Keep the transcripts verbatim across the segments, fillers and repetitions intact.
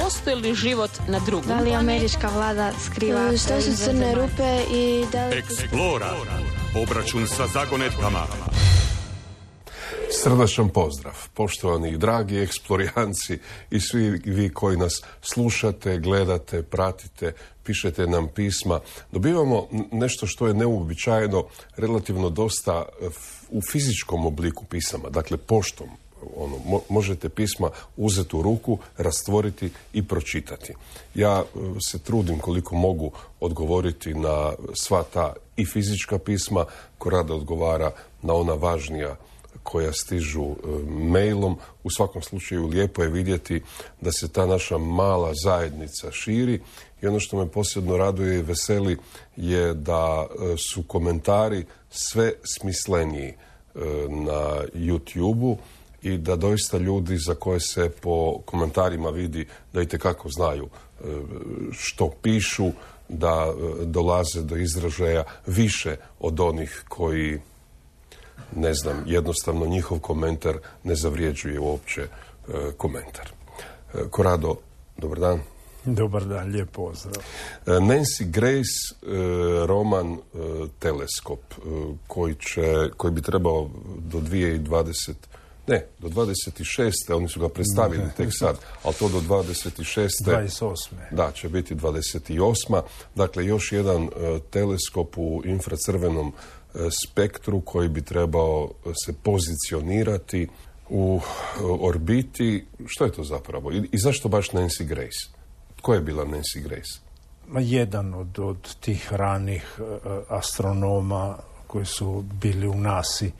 postoji li život na drugom? Da li američka vlada skriva... Što su crne rupe i da li... Eksplora. Obračun sa zagonetkama. Srdačan pozdrav, poštovani i dragi eksplorijanci i svi vi koji nas slušate, gledate, pratite, pišete nam pisma. Dobivamo nešto što je neuobičajeno, relativno dosta u fizičkom obliku pisama, dakle poštom. Ono, mo- možete pisma uzeti u ruku, rastvoriti i pročitati. Ja se trudim koliko mogu odgovoriti na sva ta i fizička pisma, ko rado odgovara na ona važnija koja stižu e, mailom. U svakom slučaju lijepo je vidjeti da se ta naša mala zajednica širi i ono što me posebno raduje i veseli je da e, su komentari sve smisleniji e, na YouTubeu i da doista ljudi za koje se po komentarima vidi da itekako znaju e, što pišu, da e, dolaze do izražaja više od onih koji, ne znam, jednostavno njihov komentar ne zavrijeđuje uopće e, komentar. E, Korado, dobar dan. Dobar dan, lijep pozdrav. E, Nancy Grace, e, roman e, Teleskop, e, koji, će, koji bi trebao do dvije tisuće dvadesete Ne, do dvadeset šeste oni su ga predstavili tek sad, ali to do dvadeset šeste dvadeset osme Da, će biti dvadeset osma Dakle, još jedan uh, teleskop u infracrvenom uh, spektru koji bi trebao se pozicionirati u uh, orbiti. Što je to zapravo? I, i zašto baš Nancy Grace? Tko je bila Nancy Grace? Ma jedan od, od tih ranih uh, astronoma koji su bili u nasi.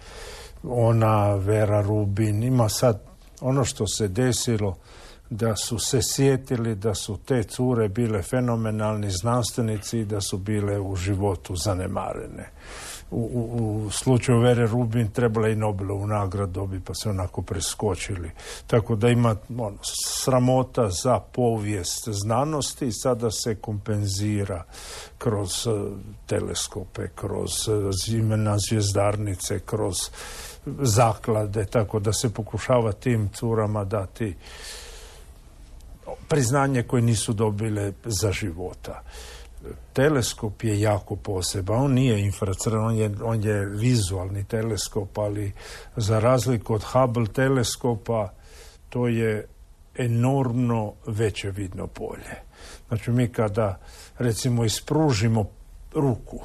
Ona, Vera Rubin, ima sad ono što se desilo, da su se sjetili da su te cure bile fenomenalni znanstvenici i da su bile u životu zanemarene. U, u, u slučaju Vere Rubin trebala i Nobelovu nagradu dobiti, pa se onako preskočili. Tako da ima ono, sramota za povijest znanosti i sada se kompenzira kroz uh, teleskope, kroz uh, imena zvjezdarnice, kroz zaklade, tako da se pokušava tim curama dati priznanje koje nisu dobile za života. Teleskop je jako poseban, on nije infracrven, on je, on je vizualni teleskop, ali za razliku od Hubble teleskopa to je enormno veće vidno polje. Znači mi kada recimo ispružimo ruku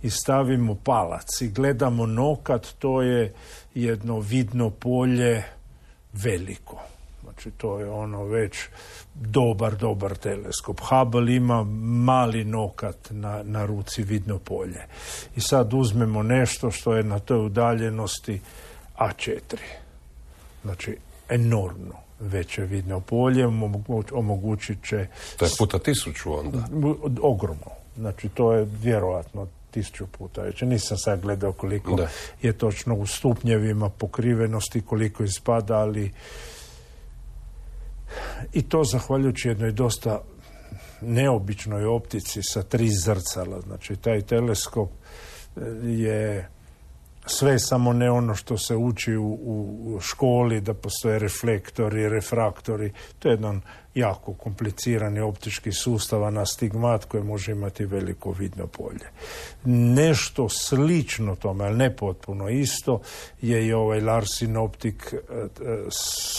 i stavimo palac i gledamo nokat, to je jedno vidno polje veliko. Znači to je ono već dobar, dobar teleskop. Hubble ima mali nokat na, na ruci, vidno polje. I sad uzmemo nešto što je na toj udaljenosti A četiri. Znači enormno veće vidno polje, omogućit će... To je puta tisuću onda? Ogromno. Znači to je vjerojatno tisuću puta već. Nisam sad gledao koliko da. je točno u stupnjevima pokrivenosti, koliko ispada, ali i to zahvaljujući jednoj dosta neobičnoj optici sa tri zrcala. Znači taj teleskop je sve samo ne ono što se uči u, u školi, da postoje reflektori, refraktori. To je jedan jako komplicirani optički sustav, astigmat koji može imati veliko vidno polje. Nešto slično tome, ali ne potpuno isto, je i ovaj Larsin Optic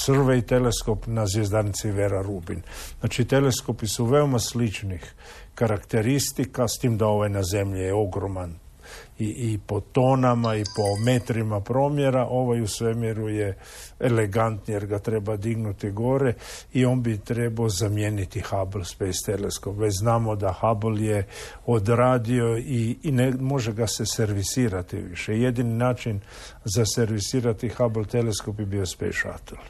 Survey teleskop na zvjezdarnici Vera Rubin. Znači teleskopi su veoma sličnih karakteristika, s tim da ovaj na zemlji je ogroman I, i po tonama i po metrima promjera. Ovaj u svemiru je elegantni jer ga treba dignuti gore i on bi trebao zamijeniti Hubble Space Telescope. Već znamo da Hubble je odradio i, i ne može ga se servisirati više. Jedini način za servisirati Hubble teleskop bi bio Space Shuttle.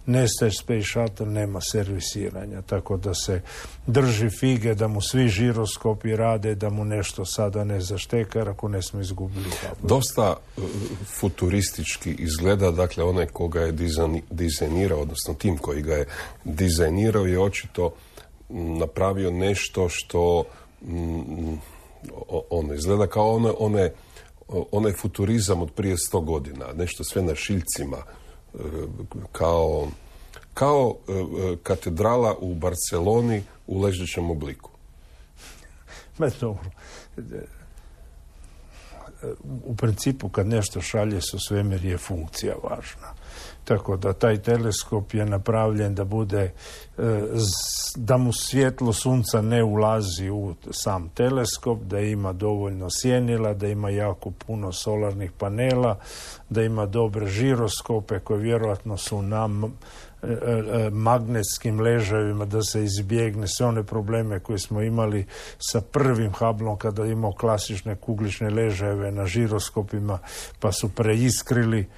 Nestaje Space Shuttle, nema servisiranja, tako da se drži fige da mu svi žiroskopi rade, da mu nešto sada ne zašteka, jer ako ne smo izgubili Hubble. Dosta uh, futuristički izgleda, dakle onaj koga je dizajn, dizajnirao, odnosno tim koji ga je dizajnirao je očito m, napravio nešto što m, ono izgleda kao one, one, onaj futurizam od prije sto godina, nešto sve na šiljcima, kao kao e, katedrala u Barceloni u ležećem obliku. Ma dobro. U principu kad nešto šalje su svemir je funkcija važna. Tako da taj teleskop je napravljen da bude, da mu svjetlo sunca ne ulazi u sam teleskop, da ima dovoljno sjenila, da ima jako puno solarnih panela, da ima dobre žiroskope koje vjerojatno su na magnetskim ležajevima, da se izbjegne sve one probleme koje smo imali sa prvim Hubbleom kada je imao klasične kuglične ležajeve na žiroskopima pa su preiskrili.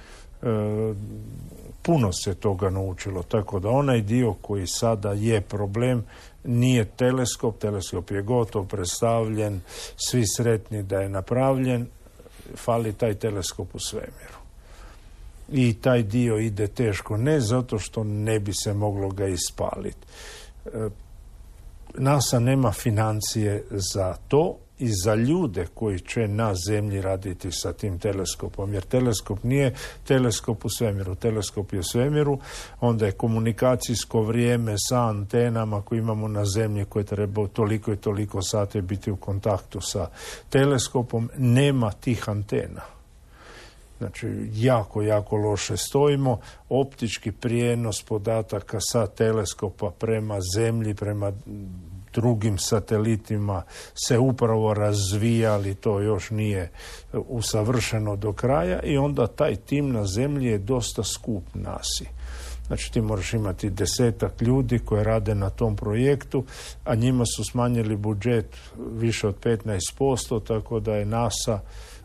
Puno se toga naučilo, tako da onaj dio koji sada je problem nije teleskop, teleskop je gotov, predstavljen, svi sretni da je napravljen, fali taj teleskop u svemiru. I taj dio ide teško, ne zato što ne bi se moglo ga ispaliti. NASA nema financije za to i za ljude koji će na zemlji raditi sa tim teleskopom, jer teleskop nije teleskop u svemiru, teleskop je u svemiru, onda je komunikacijsko vrijeme sa antenama koje imamo na zemlji koje treba toliko i toliko sati biti u kontaktu sa teleskopom, nema tih antena. Znači, jako, jako loše stojimo. Optički prijenos podataka sa teleskopa prema zemlji, prema drugim satelitima se upravo razvija, ali to još nije usavršeno do kraja i onda taj tim na zemlji je dosta skup nasi. Znači ti moraš imati desetak ljudi koji rade na tom projektu, a njima su smanjili budžet više od petnaest posto, tako da je NASA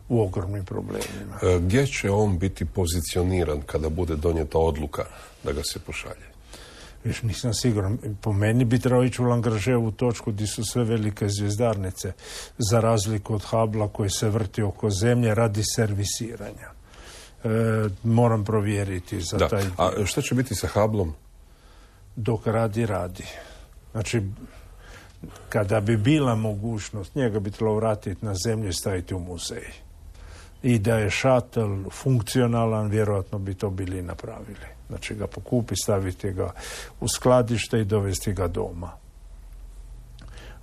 u ogromnim problemima. Gdje će on biti pozicioniran kada bude donijeta odluka da ga se pošalje? Viš, nisam siguran. Po meni bi trebao ići u Lagrangeovu točku gdje su sve velike zvjezdarnice, za razliku od Hubblea koji se vrti oko zemlje radi servisiranja. E, moram provjeriti za da. taj dio. A što će biti sa Hubbleom? Dok radi, radi. Znači, kada bi bila mogućnost, njega bi trebalo vratiti na zemlju i staviti u muzej. I da je šatel funkcionalan, vjerojatno bi to bili napravili. Znači ga pokupi, staviti ga u skladište i dovesti ga doma.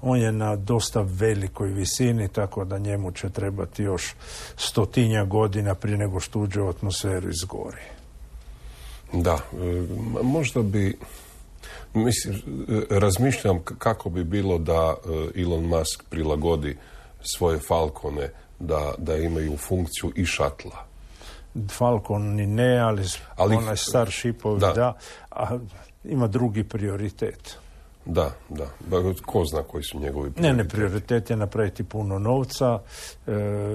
On je na dosta velikoj visini, tako da njemu će trebati još stotinja godina prije nego što uđe u atmosferu iz gori. Da, možda bi, mislim, razmišljam kako bi bilo da Elon Musk prilagodi svoje Falcone da, da imaju funkciju i šatla. Falcon ni ne, ali, ali onaj Starshipovi da. da, a ima drugi prioritet. Da, da. Ko zna koji su njegovi prioriteti? Ne, ne, prioritet je napraviti puno novca, e,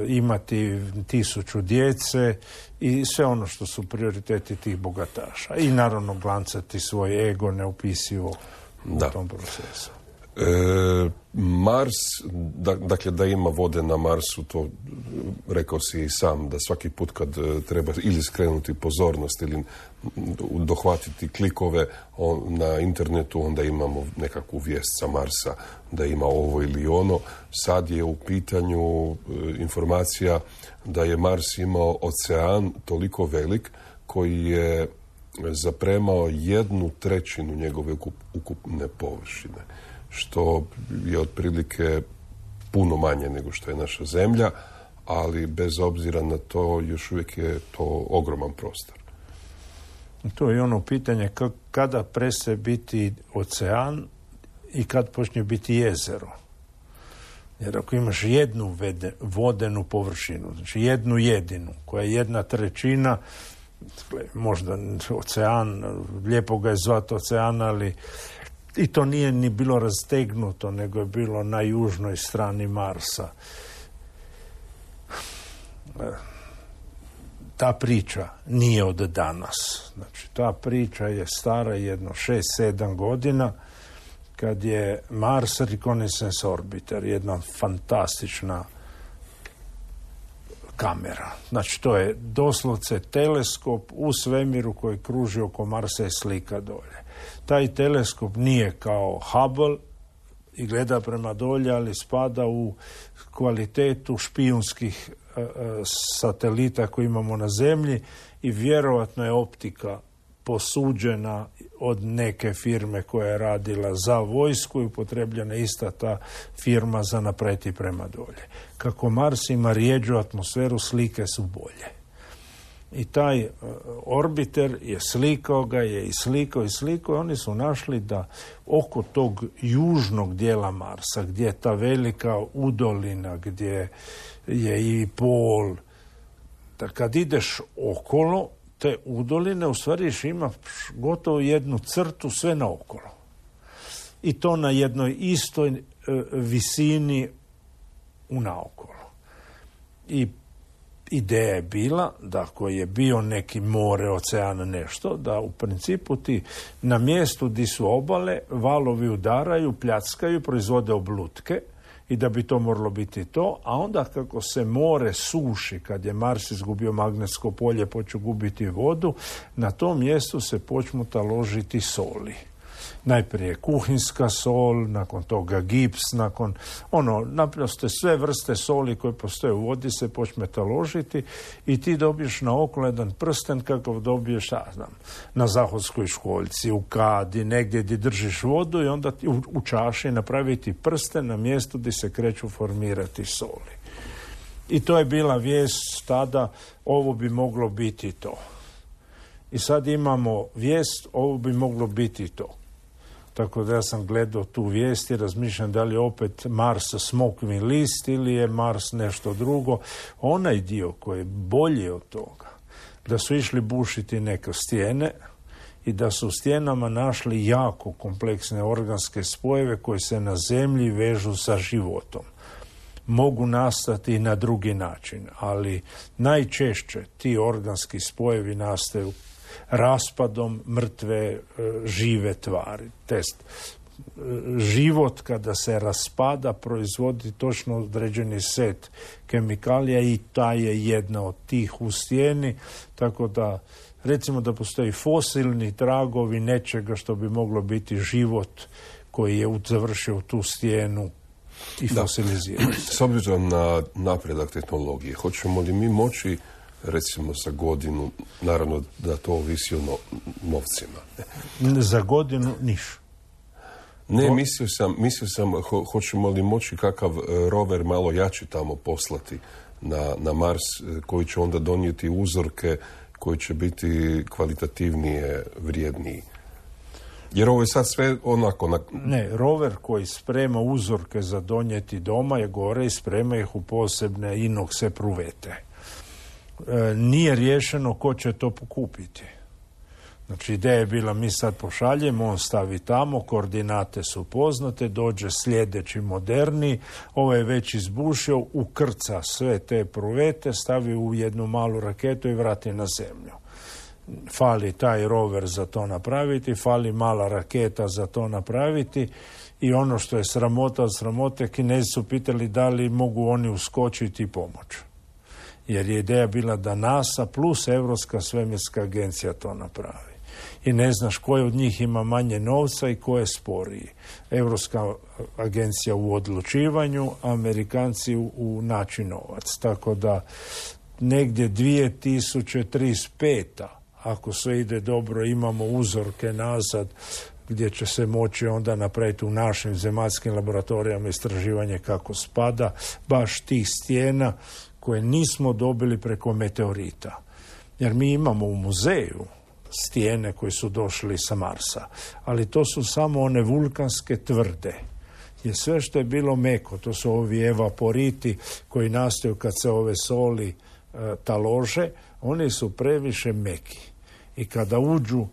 imati tisuću djece i sve ono što su prioriteti tih bogataša. I naravno glancati svoj ego neupisivo da. u tom procesu. E, Mars, da, dakle da ima vode na Marsu, to rekao si i sam, da svaki put kad treba ili skrenuti pozornost ili dohvatiti klikove on, na internetu, onda imamo nekakvu vijest sa Marsa da ima ovo ili ono. Sad je u pitanju e, informacija da je Mars imao ocean toliko velik koji je zapremao jednu trećinu njegove ukup, ukupne površine, što je otprilike puno manje nego što je naša zemlja, ali bez obzira na to još uvijek je to ogroman prostor. To je ono pitanje kada prestaje biti ocean i kad počne biti jezero. Jer ako imaš jednu vede, vodenu površinu, znači jednu jedinu, koja je jedna trećina, možda ocean, lijepo ga je zvati ocean, ali i to nije ni bilo rastegnuto, nego je bilo na južnoj strani Marsa. Ta priča nije od danas. Znači, ta priča je stara jedno šest sedam godina, kad je Mars Reconnaissance Orbiter, jedna fantastična kamera. Znači, to je doslovce teleskop u svemiru koji kruži oko Marsa i slika dolje. Taj teleskop nije kao Hubble i gleda prema dolje, ali spada u kvalitetu špijunskih uh, satelita koje imamo na zemlji i vjerojatno je optika posuđena od neke firme koja je radila za vojsku i upotrebljena ista ta firma za napreti prema dolje. Kako Mars ima rijeđu atmosferu, slike su bolje. I taj uh, orbiter je slikao ga, je i slikao i slikao i oni su našli da oko tog južnog dijela Marsa, gdje je ta velika udolina, gdje je i pol, da kad ideš okolo te udoline, u stvari ima gotovo jednu crtu sve naokolo. I to na jednoj istoj uh, visini u naokolo. I ideja je bila da ako je bio neki more, ocean, nešto, da u principu ti na mjestu di su obale valovi udaraju, pljackaju, proizvode oblutke i da bi to moralo biti to, a onda kako se more suši, kad je Mars izgubio magnetsko polje, počeo gubiti vodu, na tom mjestu se počnu taložiti soli. Najprije kuhinska sol, nakon toga gips, nakon ono, naprosto sve vrste soli koje postoje u vodi se počne taložiti i ti dobiješ na oko jedan prsten kakav dobiješ, ja znam, na Zahodskoj školjci, u kadi, negdje gdje držiš vodu i onda ti u, u čaši napraviti prsten na mjestu gdje se kreću formirati soli. I to je bila vijest tada, ovo bi moglo biti to. I sad imamo vijest, ovo bi moglo biti to. Tako da ja sam gledao tu vijest i razmišljam da li je opet Mars smokvin list ili je Mars nešto drugo. Onaj dio koji je bolji od toga, da su išli bušiti neke stijene i da su u stijenama našli jako kompleksne organske spojeve koji se na zemlji vežu sa životom. Mogu nastati i na drugi način, ali najčešće ti organski spojevi nastaju raspadom mrtve žive tvari. Test. Život kada se raspada proizvodi točno određeni set kemikalija i ta je jedna od tih u stijeni, tako da recimo da postoji fosilni tragovi nečega što bi moglo biti život koji je završio tu stijenu i fosilizirao. S obzirom na napredak tehnologije, hoćemo li mi moći recimo za godinu, naravno da to ovisi o no, novcima. Za godinu niš. Ne, mislio sam, mislio sam ho, hoćemo li moći kakav rover malo jači tamo poslati na, na Mars, koji će onda donijeti uzorke koji će biti kvalitativnije, vrijedniji. Jer ovo je sad sve onako... Na... Ne, rover koji sprema uzorke za donijeti doma je gore i sprema ih u posebne inokse pruvete. E, nije riješeno ko će to pokupiti. Znači, ideja je bila mi sad pošaljemo, on stavi tamo, koordinate su poznate, dođe sljedeći moderni, ovo je već izbušio, ukrca sve te pruvete, stavi u jednu malu raketu i vrati na zemlju. Fali taj rover za to napraviti, fali mala raketa za to napraviti i ono što je sramota od sramote, Kinezi su pitali da li mogu oni uskočiti i pomoći. Jer je ideja bila da NASA plus Europska svemirska agencija to napravi. I ne znaš koji od njih ima manje novca i ko je sporiji. Europska agencija u odlučivanju, Amerikanci u, u naći novac. Tako da negdje dvije tisuće trideset pete ako sve ide dobro, imamo uzorke nazad gdje će se moći onda napraviti u našim zemaljskim laboratorijama istraživanje kako spada baš tih stijena koje nismo dobili preko meteorita. Jer mi imamo u muzeju stijene koje su došli sa Marsa, ali to su samo one vulkanske tvrde. Jer sve što je bilo meko, to su ovi evaporiti koji nastaju kad se ove soli e, talože, oni su previše meki. I kada uđu,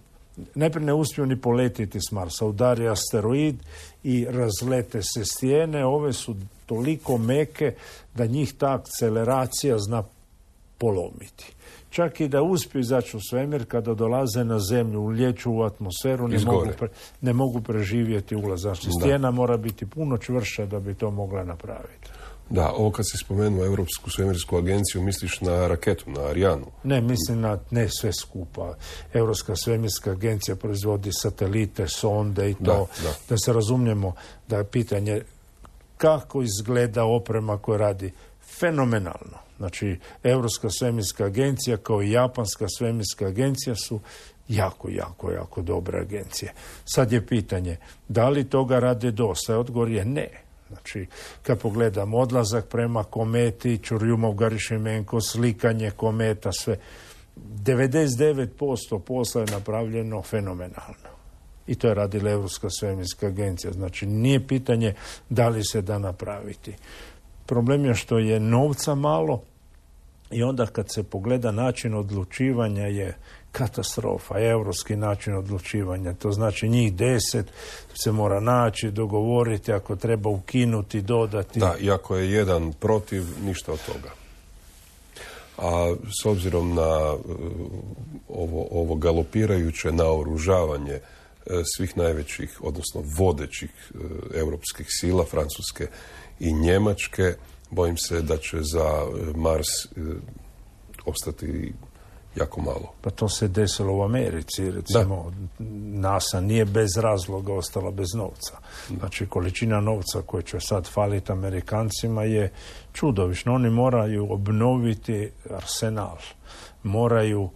najprije ne uspiju ni poletiti s Marsa, udari asteroid i razlete se stijene, ove su toliko meke da njih ta akceleracija zna polomiti. Čak i da uspiju izaći u svemir, kada dolaze na zemlju, ulječu u atmosferu, ne mogu, pre, ne mogu preživjeti ulaz. Znači, stijena mora biti puno čvršća da bi to mogla napraviti. Da, ovo kad si spomenuo Europsku svemirsku agenciju, misliš na raketu, na Arianu? Ne, mislim na ne sve skupa. Europska svemirska agencija proizvodi satelite, sonde i to. Da, da. da se razumijemo da je pitanje kako izgleda oprema koja radi fenomenalno. Znači, Europska svemirska agencija kao i Japanska svemirska agencija su jako, jako, jako dobre agencije. Sad je pitanje, da li toga rade dosta? Odgovor je ne. Znači, kad pogledam odlazak prema kometi, Čurjumov, Garišimenko, slikanje kometa, sve, devedeset devet posto posla je napravljeno fenomenalno. I to je radila Europska svemirska agencija. Znači, nije pitanje da li se da napraviti. Problem je što je novca malo i onda kad se pogleda način odlučivanja je katastrofa, europski način odlučivanja. To znači njih deset se mora naći, dogovoriti, ako treba ukinuti, dodati. Da, i ako je jedan protiv, ništa od toga. A s obzirom na ovo, ovo galopirajuće naoružavanje svih najvećih, odnosno vodećih europskih sila, Francuske i Njemačke, bojim se da će za Mars ostati jako malo. Pa to se desilo u Americi, recimo. Da. NASA nije bez razloga ostala bez novca. Znači, količina novca koja će sad faliti Amerikancima je čudovišno. Oni moraju obnoviti arsenal. Moraju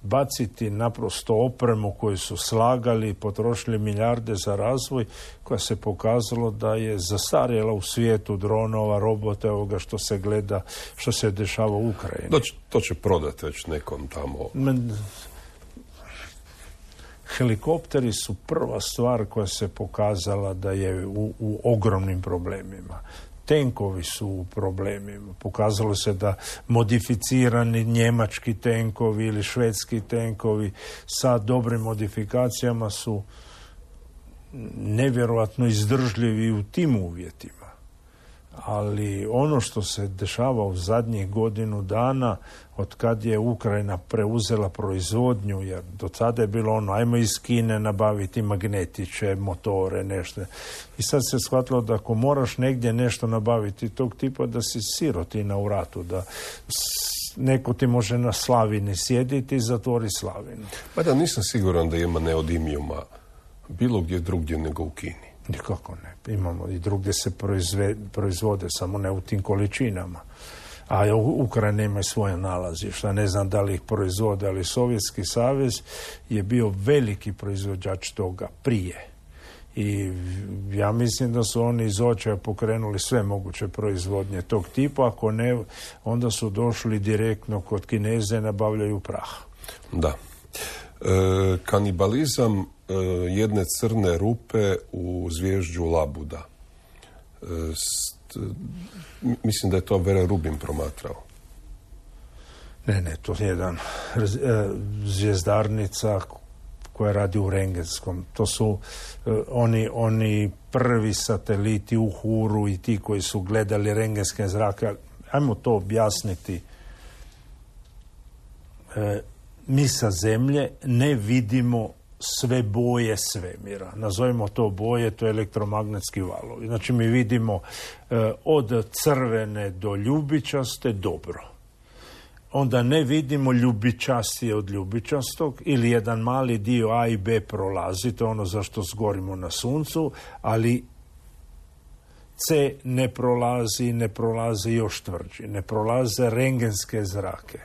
baciti naprosto opremu koju su slagali, potrošili milijarde za razvoj, koja se pokazalo da je zastarjela u svijetu dronova, robota, ovoga što se gleda, što se dešava u Ukrajini. To će, to će prodati već nekom tamo. Men, helikopteri su prva stvar koja se pokazala da je u, u ogromnim problemima. Tenkovi su u problemima. Pokazalo se da modificirani njemački tenkovi ili švedski tenkovi sa dobrim modifikacijama su nevjerojatno izdržljivi u tim uvjetima. Ali ono što se dešava u zadnjih godinu dana, od kad je Ukrajina preuzela proizvodnju, jer do tada je bilo ono, ajmo iz Kine nabaviti magnetiće, motore, nešto. I sad se shvatilo da ako moraš negdje nešto nabaviti tog tipa, da si sirotina u ratu, da neko ti može na Slavini sjediti i zatvori Slavinu. Pa da, nisam siguran da ima neodimijuma bilo gdje drugdje nego u Kini. Nikako ne. Imamo i drugdje se proizve, proizvode, samo ne u tim količinama. A Ukrajina ima svoje nalazišta. Ne znam da li ih proizvode, ali Sovjetski savez je bio veliki proizvođač toga prije. I ja mislim da su oni iz očaja pokrenuli sve moguće proizvodnje tog tipa. Ako ne, onda su došli direktno kod Kineze i nabavljaju prah. Da. E, kanibalizam e, jedne crne rupe u zvježđu Labuda. E, st, mislim da je to Vera Rubin promatrao. Ne, ne, to je jedan e, zvjezdarnica koja radi u rengenskom. To su e, oni, oni prvi sateliti u Huru i ti koji su gledali rengenske zrake. Ajmo to objasniti. E, mi sa Zemlje ne vidimo sve boje svemira. Nazovimo to boje, to je elektromagnetski valovi. Znači mi vidimo e, od crvene do ljubičaste dobro. Onda ne vidimo ljubičastije od ljubičastog ili jedan mali dio A i B prolazi, to je ono zašto zgorimo na suncu, ali C ne prolazi, ne prolazi još tvrđi, ne prolaze rengenske zrake.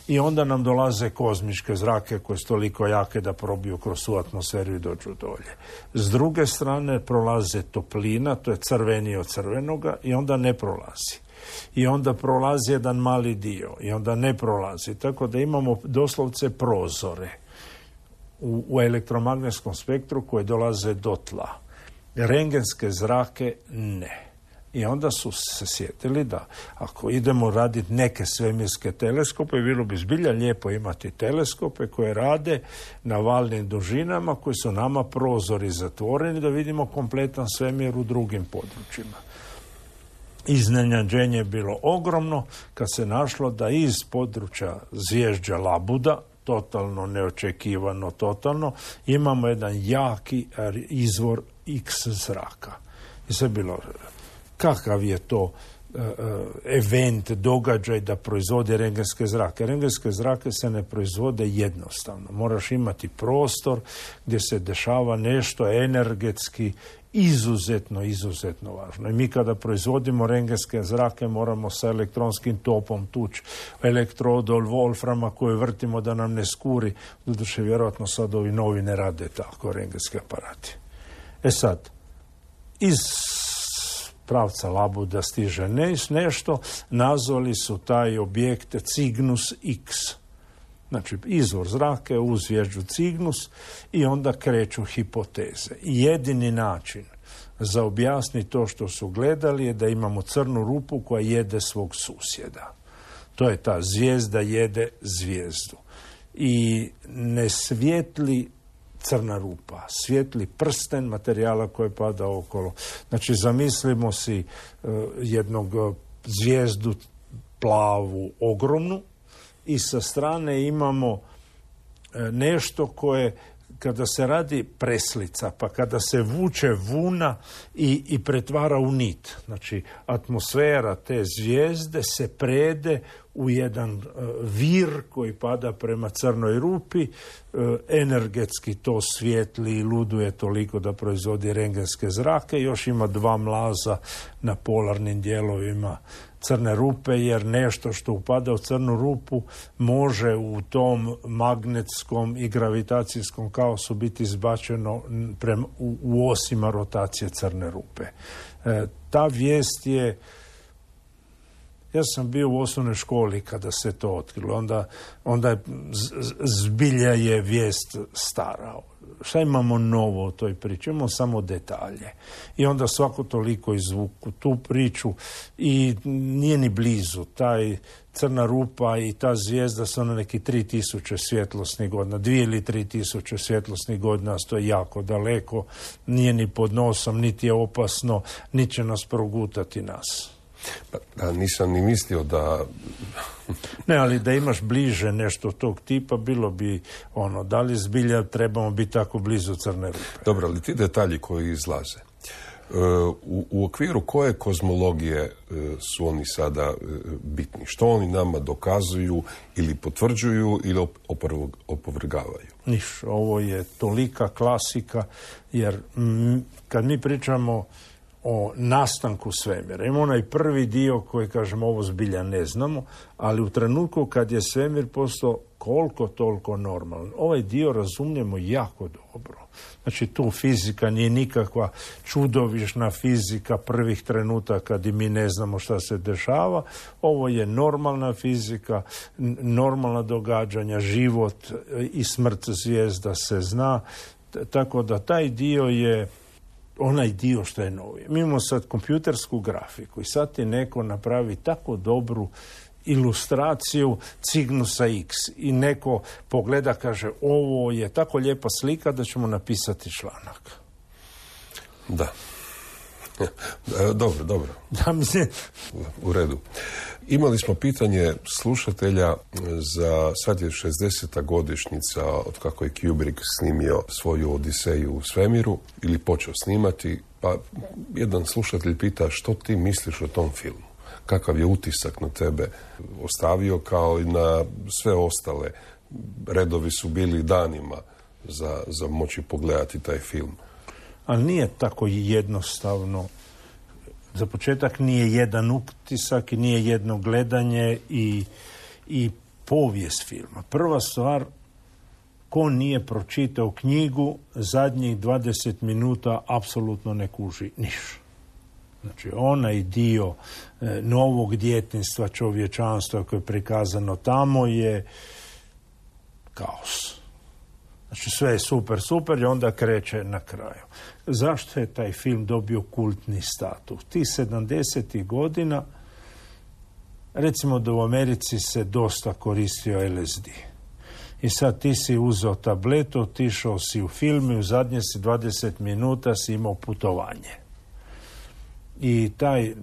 I onda nam dolaze kozmičke zrake koje su toliko jake da probiju kroz svu atmosferu i dođu dolje. S druge strane prolaze toplina, to je crvenije od crvenoga, i onda ne prolazi. I onda prolazi jedan mali dio i onda ne prolazi. Tako da imamo doslovce prozore u, u elektromagnetskom spektru koje dolaze do tla. Rengenske zrake ne. I onda su se sjetili da ako idemo raditi neke svemirske teleskope, bilo bi zbilja lijepo imati teleskope koje rade na valnim dužinama koji su nama prozori zatvoreni da vidimo kompletan svemir u drugim područjima. Iznenađenje je bilo ogromno kad se našlo da iz područja zvježđa Labuda, totalno neočekivano, totalno, imamo jedan jaki izvor X zraka. I sve bilo, kakav je to event, događaj da proizvode rengenske zrake. Rengenske zrake se ne proizvode jednostavno. Moraš imati prostor gdje se dešava nešto energetski izuzetno, izuzetno važno. I mi kada proizvodimo rengenske zrake moramo sa elektronskim topom tući elektrodu od wolframa koju vrtimo da nam ne skuri. Doduše, vjerojatno sad ovi novi ne rade tako rengenski aparati. E sad, iz pravca Labuda stiže nešto, nazvali su taj objekt Cygnus X. Znači, izvor zraka uz zvijezdu Cygnus i onda kreću hipoteze. I jedini način za objasniti to što su gledali je da imamo crnu rupu koja jede svog susjeda. To je ta zvijezda jede zvijezdu. I ne svijetli crna rupa, svijetli prsten materijala koji pada okolo. Znači, zamislimo si uh, jednog uh, zvijezdu plavu, ogromnu, i sa strane imamo uh, nešto koje, kada se radi preslica, pa kada se vuče vuna i, i pretvara u nit. Znači, atmosfera te zvijezde se prede u jedan uh, vir koji pada prema crnoj rupi, uh, energetski to svijetli i luduje toliko da proizvodi rengenske zrake. Još ima dva mlaza na polarnim dijelovima crne rupe, jer nešto što upada u crnu rupu može u tom magnetskom i gravitacijskom kaosu biti izbačeno prema, u, u osima rotacije crne rupe. E, ta vijest je... Ja sam bio u osnovnoj školi kada se to otkrilo. Onda, onda je, zbilja je vijest stara. Šta imamo novo u toj priči? Imamo samo detalje. I onda svako toliko izvuku tu priču i nije ni blizu. Taj crna rupa i ta zvijezda su na neki tri tisuće svjetlosnih godina. Dvije ili tri tisuće svjetlosnih godina, to je jako daleko. Nije ni pod nosom, niti je opasno, niti će nas progutati nas. Pa, nisam ni mislio da... Ne, ali da imaš bliže nešto tog tipa, bilo bi ono, da li zbilja trebamo biti tako blizu crne rupe. Dobro, ali ti detalji koji izlaze, u, u okviru koje kozmologije su oni sada bitni? Što oni nama dokazuju ili potvrđuju ili opovrgavaju? Niš, ovo je tolika klasika, jer m, kad mi pričamo o nastanku svemira. Ima onaj prvi dio koji, kažem, ovo zbilja ne znamo, ali u trenutku kad je svemir postao koliko toliko normalan, ovaj dio razumijemo jako dobro. Znači, tu fizika nije nikakva čudovišna fizika prvih trenutaka kad i mi ne znamo šta se dešava. Ovo je normalna fizika, normalna događanja, život i smrt zvijezda se zna. Tako da taj dio je onaj dio što je novi. Mi imamo sad kompjutersku grafiku i sad ti neko napravi tako dobru ilustraciju Cygnusa X i neko pogleda, kaže, ovo je tako lijepa slika da ćemo napisati članak. Da. Dobro, dobro. Da, mislim... U redu. Imali smo pitanje slušatelja za, sad je šezdeseta godišnjica od kako je Kubrick snimio svoju Odiseju u svemiru ili počeo snimati, pa jedan slušatelj pita što ti misliš o tom filmu? Kakav je utisak na tebe ostavio, kao i na sve ostale? Redovi su bili danima za, za moći pogledati taj film. Ali nije tako jednostavno. Za početak nije jedan utisak i nije jedno gledanje i, i povijest filma. Prva stvar, ko nije pročitao knjigu, zadnjih dvadeset minuta apsolutno ne kuži niš. Znači, onaj dio e, novog djetinjstva čovječanstva koje je prikazano tamo je kaos. Znači, sve je super, super i onda kreće na kraju. Zašto je taj film dobio kultni status? Tih sedamdesetih godina, recimo da u Americi se dosta koristio L S D. I sad ti si uzeo tabletu, otišao si u film i u zadnje si dvadeset minuta si imao putovanje. I taj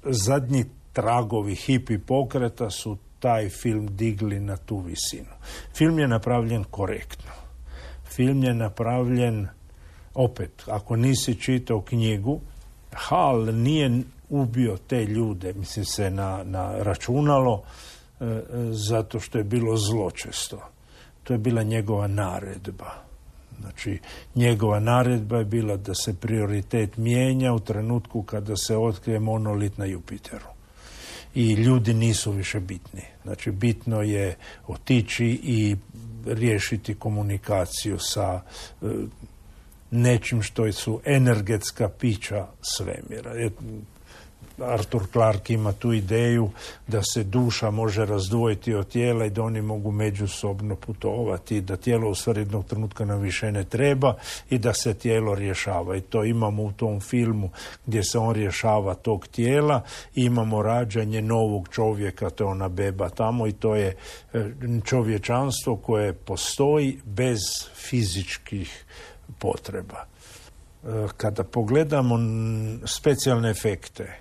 zadnji tragovi hipi pokreta su taj film digli na tu visinu. Film je napravljen korektno. Film je napravljen, opet, ako nisi čitao knjigu, Hal nije ubio te ljude, mislim se na, na računalo, e, e, zato što je bilo zločesto. To je bila njegova naredba. Znači, njegova naredba je bila da se prioritet mijenja u trenutku kada se otkrije monolit na Jupiteru. I ljudi nisu više bitni. Znači, bitno je otići i riješiti komunikaciju sa e, nečim što su energetska pića svemira. Arthur Clarke ima tu ideju da se duša može razdvojiti od tijela i da oni mogu međusobno putovati, da tijelo u stvari jednog trenutka nam više ne treba i da se tijelo rješava. I to imamo u tom filmu gdje se on rješava tog tijela i imamo rađanje novog čovjeka, to je ona beba tamo i to je čovječanstvo koje postoji bez fizičkih potreba. Kada pogledamo specijalne efekte,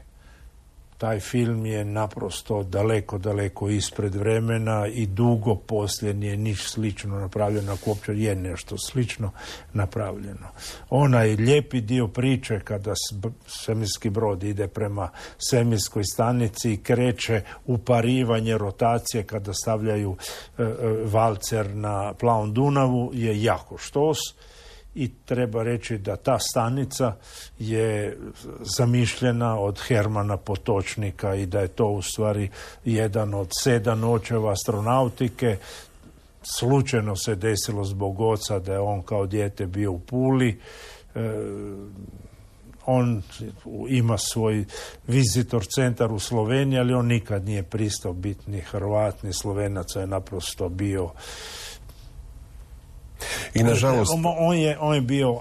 taj film je naprosto daleko, daleko ispred vremena i dugo poslije nije niš slično napravljeno, ako uopće je nešto slično napravljeno. Onaj lijepi dio priče kada svemirski brod ide prema svemirskoj stanici i kreće uparivanje rotacije kada stavljaju e, e, valcer na plavom Dunavu je jako štos. I treba reći da ta stanica je zamišljena od Hermana Potočnika i da je to u stvari jedan od sedam očeva astronautike. Slučajno se desilo zbog oca da je on kao dijete bio u Puli. E, on ima svoj vizitor centar u Sloveniji, ali on nikad nije pristao biti ni Hrvat, ni Slovenac, je naprosto bio... I nažalost... On, on, je, on je bio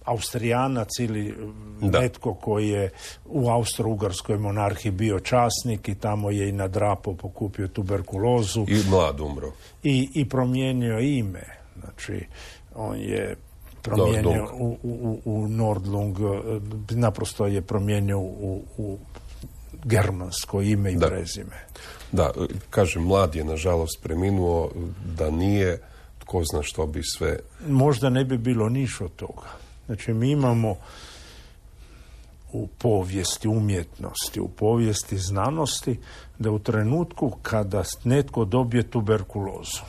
Austrijanac ili da. netko koji je u Austro-Ugarskoj monarhiji bio časnik i tamo je i nadrapao, pokupio tuberkulozu. I mlad umro. I, i promijenio ime. Znači, on je promijenio u, u, u Nordlung, naprosto je promijenio u, u germansko ime i da. prezime. Da, kažem, mlad je nažalost preminuo, da nije... Ko zna što bi sve... Možda ne bi bilo niš od toga. Znači, mi imamo u povijesti umjetnosti, u povijesti znanosti, da u trenutku kada netko dobije tuberkulozu,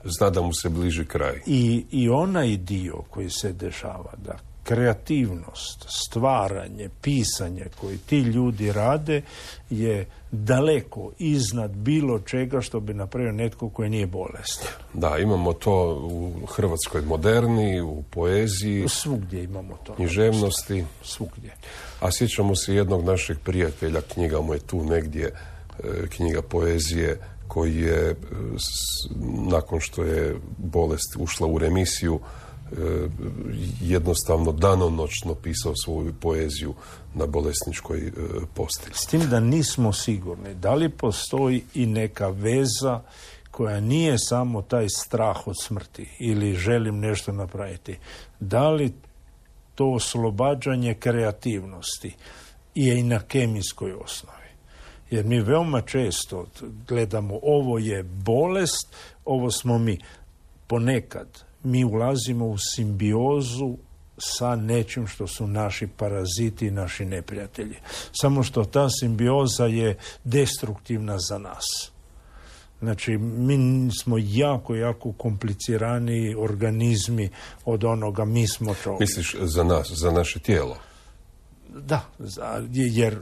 zna da mu se bliži kraj. I, i onaj dio koji se dešava, da kreativnost, stvaranje, pisanje koji ti ljudi rade je daleko iznad bilo čega što bi napravio netko koji nije bolestan. Da, imamo to u hrvatskoj moderni, u poeziji. Svugdje imamo to. Književnosti. Svugdje. A sjećamo se jednog našeg prijatelja, knjiga mu je tu negdje, knjiga poezije, koji je, nakon što je bolest ušla u remisiju, jednostavno danonoćno pisao svoju poeziju na bolesničkoj postelji. S tim da nismo sigurni da li postoji i neka veza koja nije samo taj strah od smrti ili želim nešto napraviti. Da li to oslobađanje kreativnosti je i na kemijskoj osnovi. Jer mi veoma često gledamo ovo je bolest, ovo smo mi. Ponekad mi ulazimo u simbiozu sa nečim što su naši paraziti i naši neprijatelji. Samo što ta simbioza je destruktivna za nas. Znači, mi smo jako, jako komplicirani organizmi od onoga, mi smo čovjek. Misliš za nas, za naše tijelo? Da, jer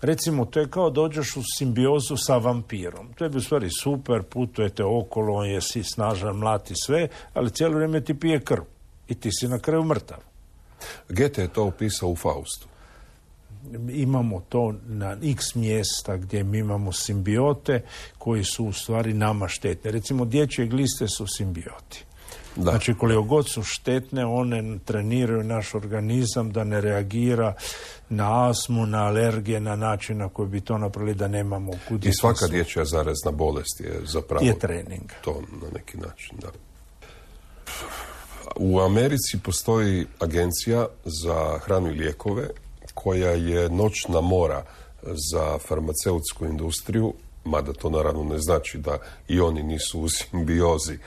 recimo, to je kao dođeš u simbiozu sa vampirom. To je u stvari super, putujete okolo, on je si snažan, mlati sve, ali cijelo vrijeme ti pije krv. I ti si na kraju mrtav. Goethe je to opisao u Faustu. Imamo to na x mjesta gdje mi imamo simbiote koji su u stvari nama štetne. Recimo, dječje gliste su simbioti. Da. Znači, koliko god su štetne, one treniraju naš organizam da ne reagira na astmu, na alergije, na način na koji bi to napravili da nemamo kud. I svaka dječja zarazna bolest je zapravo... Je trening. To na neki način, da. U Americi postoji agencija za hranu i lijekove koja je noćna mora za farmaceutsku industriju, mada to naravno ne znači da i oni nisu u simbiozi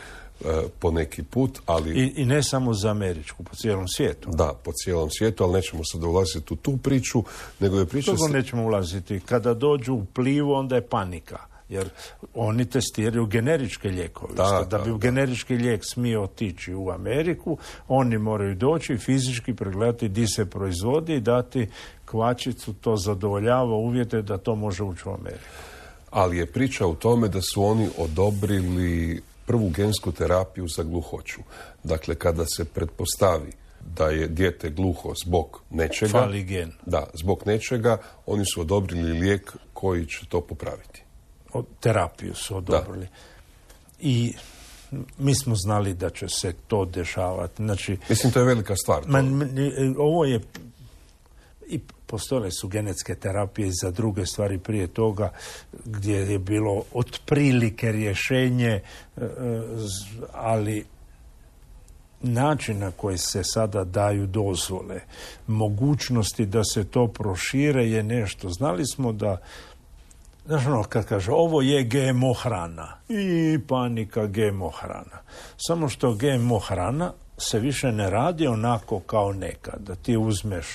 po neki put, ali... I, I ne samo za američku, po cijelom svijetu. Da, po cijelom svijetu, ali nećemo sad ulaziti u tu priču, nego je priča... Togo nećemo ulaziti. Kada dođu u plivu, onda je panika. Jer oni testiraju generičke lijekove. Da, da, da bi da. generički lijek smio otići u Ameriku, oni moraju doći i fizički pregledati di se proizvodi i dati kvačicu, to zadovoljava uvjete da to može ući u Ameriku. Ali je priča u tome da su oni odobrili prvu gensku terapiju za gluhoću. Dakle, kada se pretpostavi da je dijete gluho zbog nečega... Fali gen. Da, zbog nečega, oni su odobrili lijek koji će to popraviti. Terapiju su odobrili. Da. I mi smo znali da će se to dešavati. Znači, mislim, to je velika stvar. Man, ovo je... I postojale su genetske terapije za druge stvari prije toga, gdje je bilo otprilike rješenje, ali način na koji se sada daju dozvole, mogućnosti da se to prošire je nešto. Znali smo da, znaš ono, kad kaže ovo je G M O hrana i panika G M O hrana. Samo što G M O hrana se više ne radi onako kao nekad, da ti uzmeš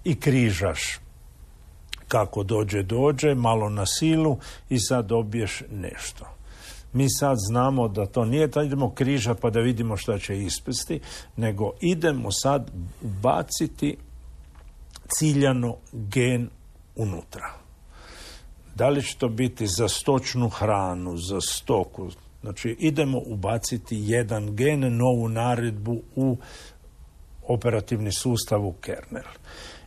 i križaš kako dođe, dođe, malo na silu i sad dobiješ nešto. Mi sad znamo da to nije da idemo križa pa da vidimo šta će ispasti, nego idemo sad baciti ciljano gen unutra. Da li će to biti za stočnu hranu, za stoku? Znači, idemo ubaciti jedan gen, novu naredbu u operativni sustav, u kernel.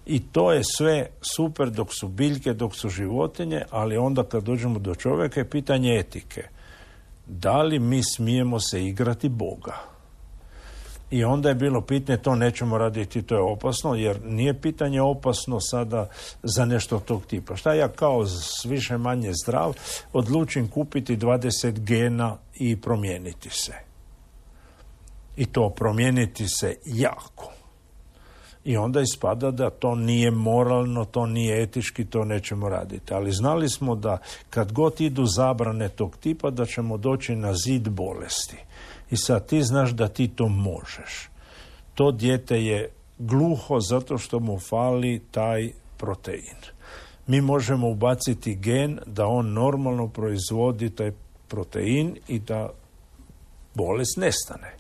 I to je sve super dok su biljke, dok su životinje, ali onda kad dođemo do čovjeka je pitanje etike. Da li mi smijemo se igrati Boga? I onda je bilo pitanje, to nećemo raditi, to je opasno, jer nije pitanje opasno sada za nešto tog tipa. Šta ja kao više manje zdrav odlučim kupiti dvadeset gena i promijeniti se? I to promijeniti se jako. I onda ispada da to nije moralno, to nije etički, to nećemo raditi. Ali znali smo da kad god idu zabrane tog tipa, da ćemo doći na zid bolesti. I sad ti znaš da ti to možeš. To dijete je gluho zato što mu fali taj protein. Mi možemo ubaciti gen da on normalno proizvodi taj protein i da bolest nestane.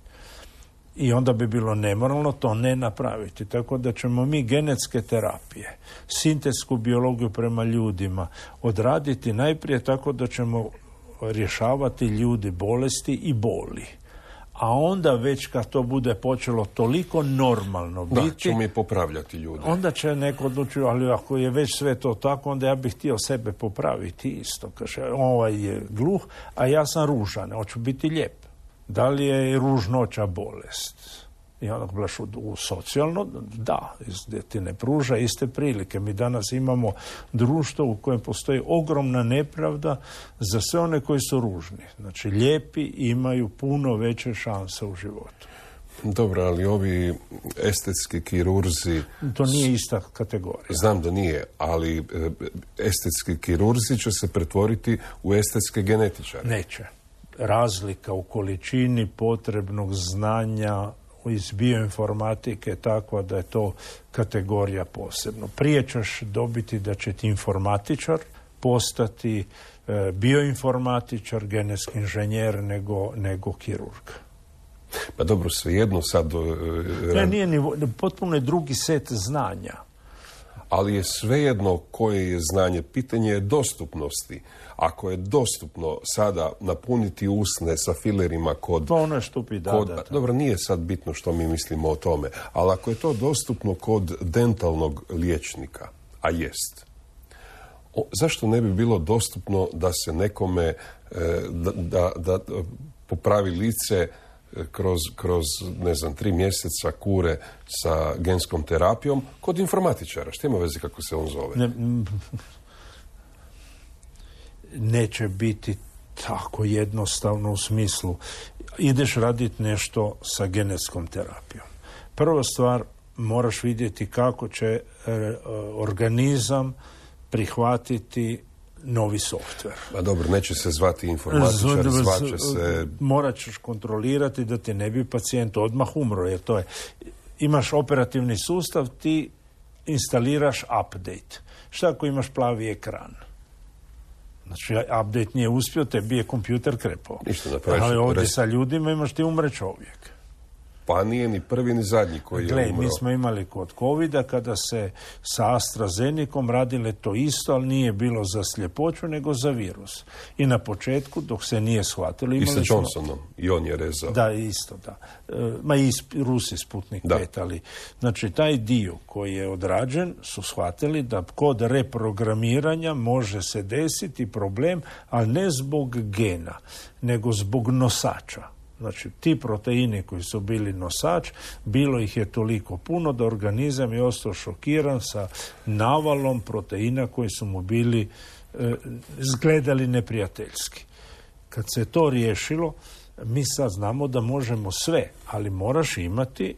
I onda bi bilo nemoralno to ne napraviti. Tako da ćemo mi genetske terapije, sintetsku biologiju prema ljudima odraditi najprije tako da ćemo rješavati ljudi bolesti i boli. A onda već kad to bude počelo toliko normalno biti... Da, ćemo mi popravljati ljude. Onda će neko odlučiti, ali ako je već sve to tako, onda ja bih htio sebe popraviti isto. Kaže, ovaj je gluh, a ja sam ružan, hoću biti lijep. Da li je ružnoća bolest? I onda gledaš u, u socijalno, da, gdje ti ne pruža iste prilike. Mi danas imamo društvo u kojem postoji ogromna nepravda za sve one koji su ružni. Znači, lijepi imaju puno veće šanse u životu. Dobro, ali ovi estetski kirurzi... To nije ista kategorija. Znam da nije, ali estetski kirurzi će se pretvoriti u estetske genetičare. Neće. Razlika u količini potrebnog znanja iz bioinformatike je takva da je to kategorija posebno. Prije ćeš dobiti da će ti informatičar postati e, bioinformatičar, genetski inženjer nego, nego kirurg. Pa dobro, svejedno sad... E, ne, nije ni, potpuno je drugi set znanja. Ali je svejedno koje je znanje. Pitanje je dostupnosti. Ako je dostupno sada napuniti usne sa filerima kod... To ono je štupi, da, kod, da, da. Dobro, nije sad bitno što mi mislimo o tome, ali ako je to dostupno kod dentalnog liječnika, a jest, o, zašto ne bi bilo dostupno da se nekome e, da, da, da popravi lice kroz, kroz, ne znam, tri mjeseca kure sa genskom terapijom kod informatičara? Što ima veze kako se on zove? Ne, neće biti tako jednostavno u smislu ideš raditi nešto sa genetskom terapijom. Prva stvar, moraš vidjeti kako će e, organizam prihvatiti novi softver. A dobro, neće se zvati informatičar, zvaće se... Morat ćeš kontrolirati da ti ne bi pacijent odmah umro, jer to je... Imaš operativni sustav, ti instaliraš update. Šta ako imaš plavi ekran? Znači, update nije uspio, tebi je kompjuter krepao. Ništa napraviš. Ali ovdje sa ljudima imaš ti umre čovjek. Pa nije ni prvi ni zadnji koji Gle, je umro. Mi smo imali kod covida kada se sa AstraZenecom radile to isto, ali nije bilo za sljepoću, nego za virus. I na početku, dok se nije shvatilo... I sa Johnsonom, i on je rezao. Da, isto, da. E, ma i Rusi Sputnik pet, ali... Znači, taj dio koji je odrađen su shvatili da kod reprogramiranja može se desiti problem, ali ne zbog gena, nego zbog nosača. Znači, ti proteini koji su bili nosač, bilo ih je toliko puno da organizam je ostao šokiran sa navalom proteina koji su mu bili e, izgledali neprijateljski. Kad se to riješilo, mi sad znamo da možemo sve, ali moraš imati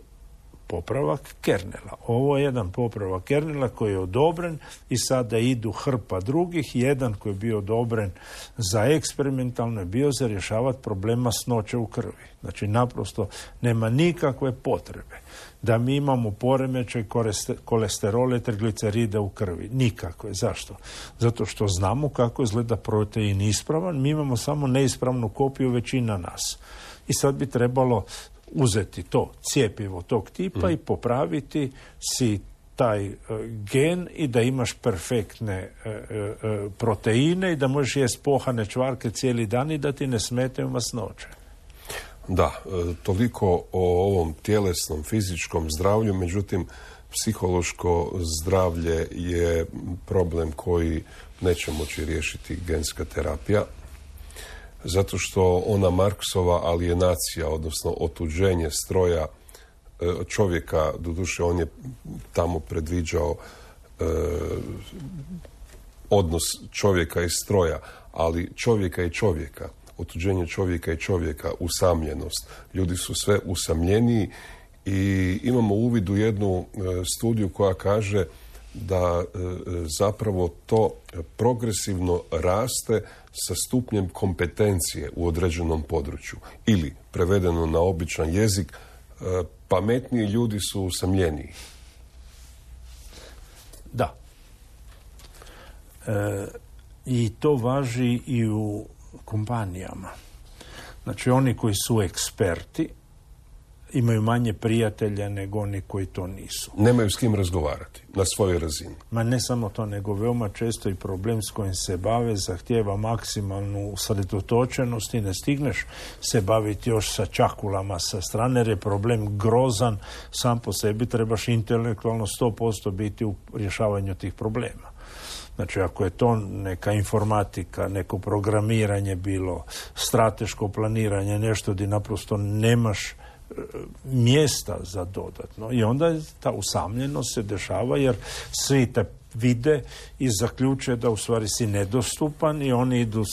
popravak kernela. Ovo je jedan popravak kernela koji je odobren i sada idu hrpa drugih. Jedan koji je bio odobren za eksperimentalno je bio za rješavati problema masnoće u krvi. Znači, naprosto nema nikakve potrebe da mi imamo poremećaj kolesterole, trigliceride u krvi. Nikakve. Zašto? Zato što znamo kako izgleda protein ispravan. Mi imamo samo neispravnu kopiju većina nas. I sad bi trebalo uzeti to cjepivo tog tipa mm. i popraviti si taj uh, gen i da imaš perfektne uh, uh, proteine i da možeš jesti pohane čvarke cijeli dan i da ti ne smetaju masnoće. Da, toliko o ovom tjelesnom, fizičkom zdravlju, međutim, psihološko zdravlje je problem koji neće moći riješiti genska terapija, zato što ona Marksova alijenacija, odnosno otuđenje stroja čovjeka, doduše on je tamo predviđao e, odnos čovjeka i stroja, ali čovjeka i čovjeka, otuđenje čovjeka i čovjeka, usamljenost. Ljudi su sve usamljeniji i imamo uvid u jednu e, studiju koja kaže da e, zapravo to progresivno raste sa stupnjem kompetencije u određenom području. Ili, prevedeno na običan jezik, e, pametniji ljudi su usamljeniji. Da. E, I to važi i u kompanijama. Znači, oni koji su eksperti imaju manje prijatelja nego oni koji to nisu. Nemaju s kim razgovarati na svojoj razini. Ma ne samo to, nego veoma često i problem s kojim se bave zahtijeva maksimalnu usredotočenost i ne stigneš se baviti još sa čakulama sa strane, jer je problem grozan sam po sebi, trebaš intelektualno sto posto biti u rješavanju tih problema. Znači, ako je to neka informatika, neko programiranje bilo, strateško planiranje, nešto gdje naprosto nemaš mjesta za dodatno. I onda ta usamljenost se dešava jer svi te vide i zaključe da u stvari si nedostupan i oni idu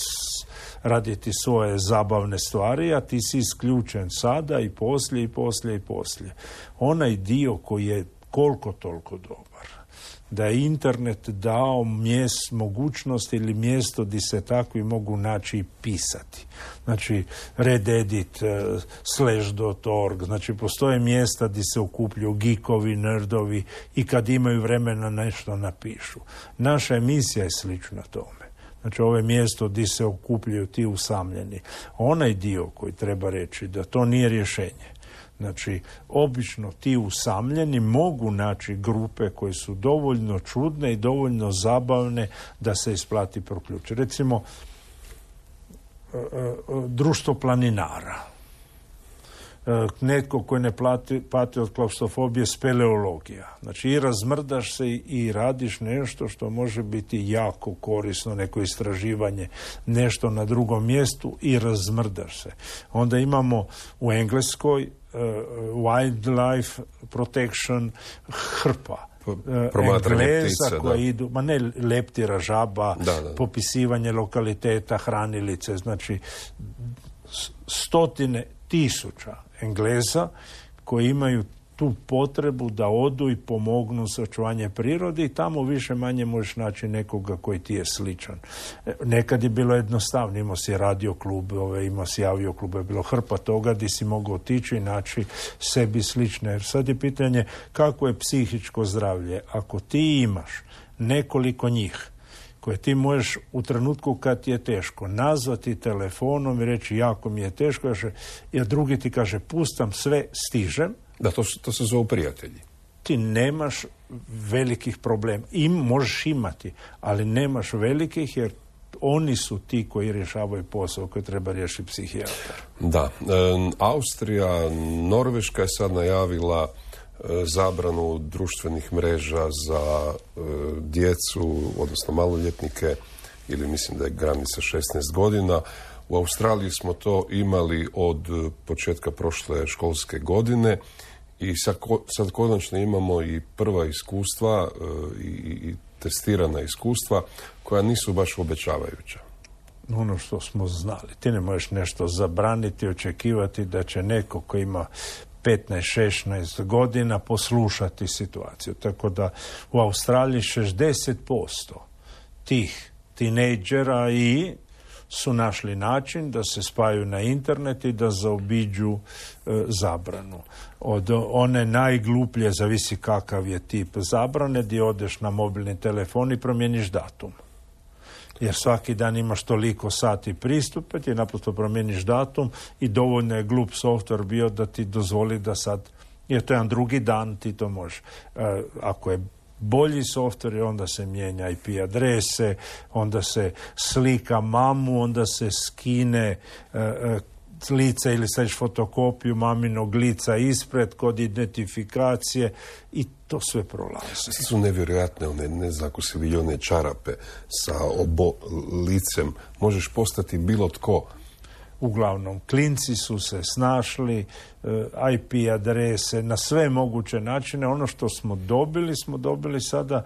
raditi svoje zabavne stvari, a ti si isključen sada i poslije i poslije i poslije. Onaj dio koji je koliko toliko dobar, da je internet dao mjest, mogućnost ili mjesto gdje se takvi mogu naći i pisati. Znači, rededit, uh, slash dot org, znači postoje mjesta gdje se okupljuju geekovi, nerdovi i kad imaju vremena nešto napišu. Naša emisija je slična tome. Znači, ovo je mjesto gdje se okupljaju ti usamljeni. Onaj dio koji treba reći da to nije rješenje. Znači, obično ti usamljeni mogu naći grupe koje su dovoljno čudne i dovoljno zabavne da se isplati proključiti. Recimo, društvo planinara. Netko koji ne plati, pati od klaustrofobije, speleologija. Znači, i razmrdaš se i radiš nešto što može biti jako korisno, neko istraživanje, nešto na drugom mjestu i razmrdaš se. Onda imamo u Engleskoj Uh, wildlife protection, hrpa uh, Engleza koji idu, ma ne leptira, žaba, da, da. Popisivanje lokaliteta, hranilice, znači stotine tisuća Engleza koji imaju tu potrebu da odu i pomognu za očuvanje prirode i tamo više manje možeš naći nekoga koji ti je sličan. Nekad je bilo jednostavno, imao si radio klubove, imao si avio klubove, bilo hrpa toga gdje si mogao otići i naći sebi slične. Jer sad je pitanje kako je psihičko zdravlje. Ako ti imaš nekoliko njih koje ti možeš u trenutku kad ti je teško nazvati telefonom i reći jako mi je teško, jer drugi ti kaže pustam sve, stižem. Da, to, to se zove prijatelji. Ti nemaš velikih problema. Im možeš imati, ali nemaš velikih jer oni su ti koji rješavaju posao koji treba riješiti psihijatar. Da. E, Austrija, Norveška je sad najavila e, zabranu društvenih mreža za e, djecu, odnosno maloljetnike, ili mislim da je granica šesnaest godina. U Australiji smo to imali od početka prošle školske godine i sad, sad konačno imamo i prva iskustva e, i, i testirana iskustva koja nisu baš obećavajuća. Ono što smo znali. Ti ne možeš nešto zabraniti, očekivati da će neko ko ima petnaest šesnaest godina poslušati situaciju. Tako da u Australiji šezdeset posto tih tinejdžera i su našli način da se spaju na internet i da zaobiđu e, zabranu. Od one najgluplje, zavisi kakav je tip zabrane, gdje odeš na mobilni telefon i promijeniš datum. Jer svaki dan imaš toliko sati pristupa, ti naprosto promijeniš datum i dovoljno je glup software bio da ti dozvoli da sad, jer to je jedan drugi dan, ti to možeš. E, ako je bolji software, onda se mijenja I P adrese, onda se slika mamu, onda se skine e, e, lice ili staviš fotokopiju maminog lica ispred kod identifikacije i to sve prolazi. Sve su nevjerojatne, one, ne znam ako si vidio one čarape sa obo licem, možeš postati bilo tko. Uglavnom, klinci su se snašli, I P adrese, na sve moguće načine. Ono što smo dobili, smo dobili sada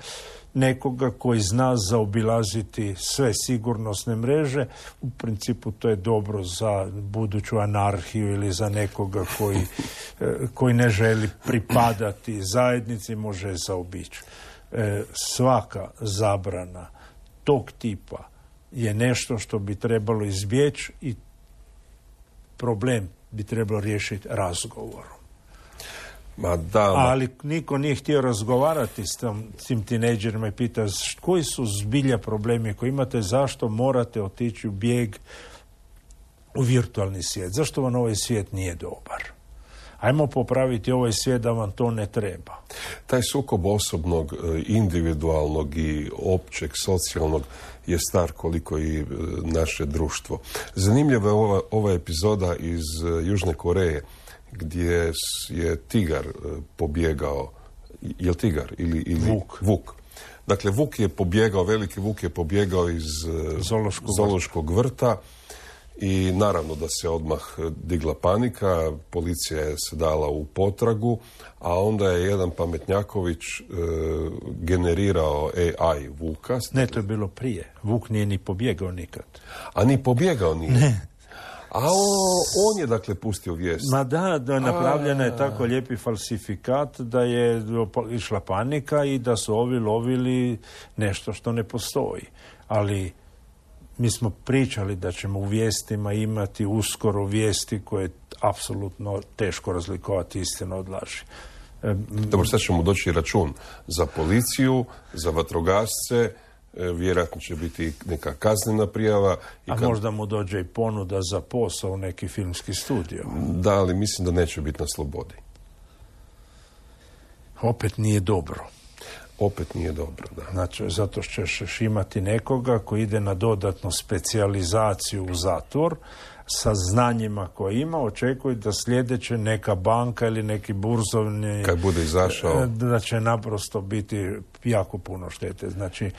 nekoga koji zna zaobilaziti sve sigurnosne mreže. U principu to je dobro za buduću anarhiju ili za nekoga koji, koji ne želi pripadati zajednici, može je zaobići. Svaka zabrana tog tipa je nešto što bi trebalo izbjeći i problem bi trebalo riješiti razgovorom. Ma da, ma... Ali niko nije htio razgovarati s, tom, s tim tinejdžerima i pita koji su zbilja problemi koji imate, zašto morate otići u bijeg u virtualni svijet, zašto vam ovaj svijet nije dobar. Ajmo popraviti ovaj svijet da vam to ne treba. Taj sukob osobnog, individualnog i općeg, socijalnog je star koliko i naše društvo. Zanimljiva je ova, ova epizoda iz Južne Koreje gdje je tigar pobjegao, je li tigar ili, ili vuk. vuk. Dakle, vuk je pobjegao, veliki vuk je pobjegao iz Zološkog, Zološkog vrta i naravno da se odmah digla panika, policija je se dala u potragu, a onda je jedan pametnjaković e, generirao A I vuka. Ne, to je bilo prije. Vuk nije ni pobjegao nikad. A ni pobjegao nije? Ne. A on, on je dakle pustio vijest. Ma da, da napravljena je tako lijepi falsifikat da je išla panika i da su ovi lovili nešto što ne postoji. Ali mi smo pričali da ćemo u vijestima imati uskoro vijesti koje je apsolutno teško razlikovati istinu od laži. Dobro, sad ćemo doći račun za policiju, za vatrogasce, vjerojatno će biti neka kaznena prijava. I A kad... možda mu dođe i ponuda za posao u neki filmski studio. Da, ali mislim da neće biti na slobodi. Opet nije dobro. Opet nije dobro, da. Znači, zato što ćeš imati nekoga koji ide na dodatnu specijalizaciju u zatvor sa znanjima koje ima, očekuje da sljedeće neka banka ili neki burzovni... Kad bude izašao... Da će naprosto biti jako puno štete. Znači,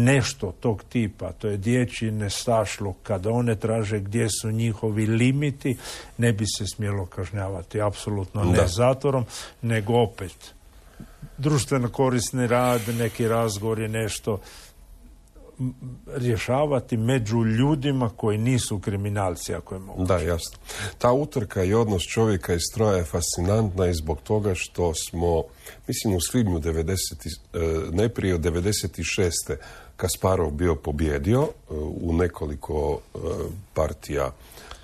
nešto tog tipa, to je dječji nestašluk, kada one traže gdje su njihovi limiti, ne bi se smjelo kažnjavati. Apsolutno ne da. zatvorom, nego opet društveno korisni rad, neki razgovor je nešto rješavati među ljudima koji nisu kriminalci, ako je moguće. Da, jasno. Ta utrka i odnos čovjeka i stroja je fascinantna i zbog toga što smo, mislim, u svibnju devedeset, najprije od devedeset šeste Kasparov bio pobjedio u nekoliko partija,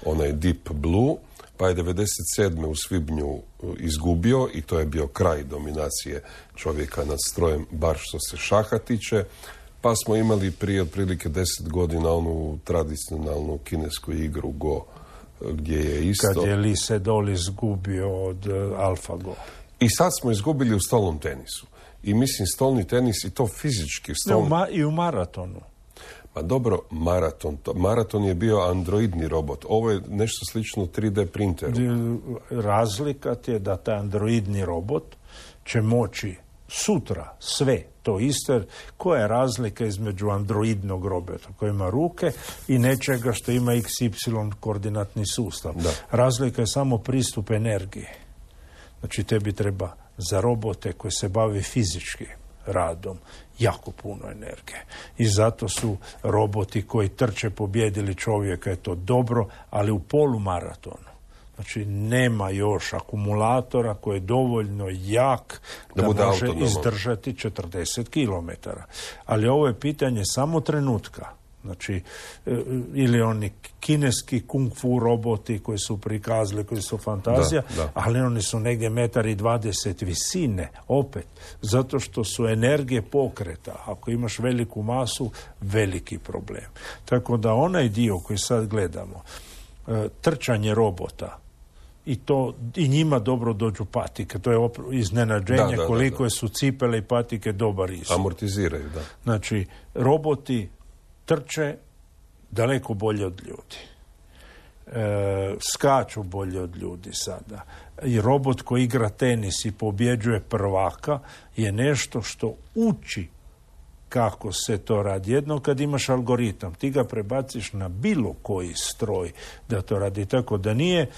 onaj Deep Blue, pa je devedeset sedme u svibnju izgubio i to je bio kraj dominacije čovjeka nad strojem, bar što se šaha tiče. Pa smo imali prije otprilike deset godina onu tradicionalnu kinesku igru Go, gdje je isto... Kad je Lee Sedol izgubio od uh, AlphaGo. I sad smo izgubili u stolnom tenisu. I mislim, stolni tenis i to fizički... Stolni... Ne, u ma- i u maratonu. Pa dobro, maraton. To, maraton je bio androidni robot. Ovo je nešto slično tri D printeru. Razlika je da taj androidni robot će moći sutra sve to isto. Koja je razlika između androidnog robota koji ima ruke i nečega što ima iks ipsilon koordinatni sustav? Da. Razlika je samo pristup energije. Znači, tebi treba za robote koji se bave fizički radom jako puno energije. I zato su roboti koji trče pobijedili čovjeka, je to dobro, ali u polumaratonu. Znači, nema još akumulatora koji je dovoljno jak da, da može autonomo izdržati četrdeset kilometara. Ali ovo je pitanje samo trenutka. Znači, ili oni kineski kung fu roboti koji su prikazali, koji su fantazija, da, da. ali oni su negdje metar i dvadeset visine, opet, zato što su energije pokreta. Ako imaš veliku masu, veliki problem. Tako da onaj dio koji sad gledamo, trčanje robota, i to i njima dobro dođu patike. To je opr- iznenađenje da, da, koliko da, da. su cipele i patike dobar izgled. Amortiziraju, da. Znači, roboti trče daleko bolje od ljudi. E, skaču bolje od ljudi sada. I robot koji igra tenis i pobjeđuje prvaka je nešto što uči kako se to radi. Jedno kad imaš algoritam, ti ga prebaciš na bilo koji stroj da to radi. Tako da nije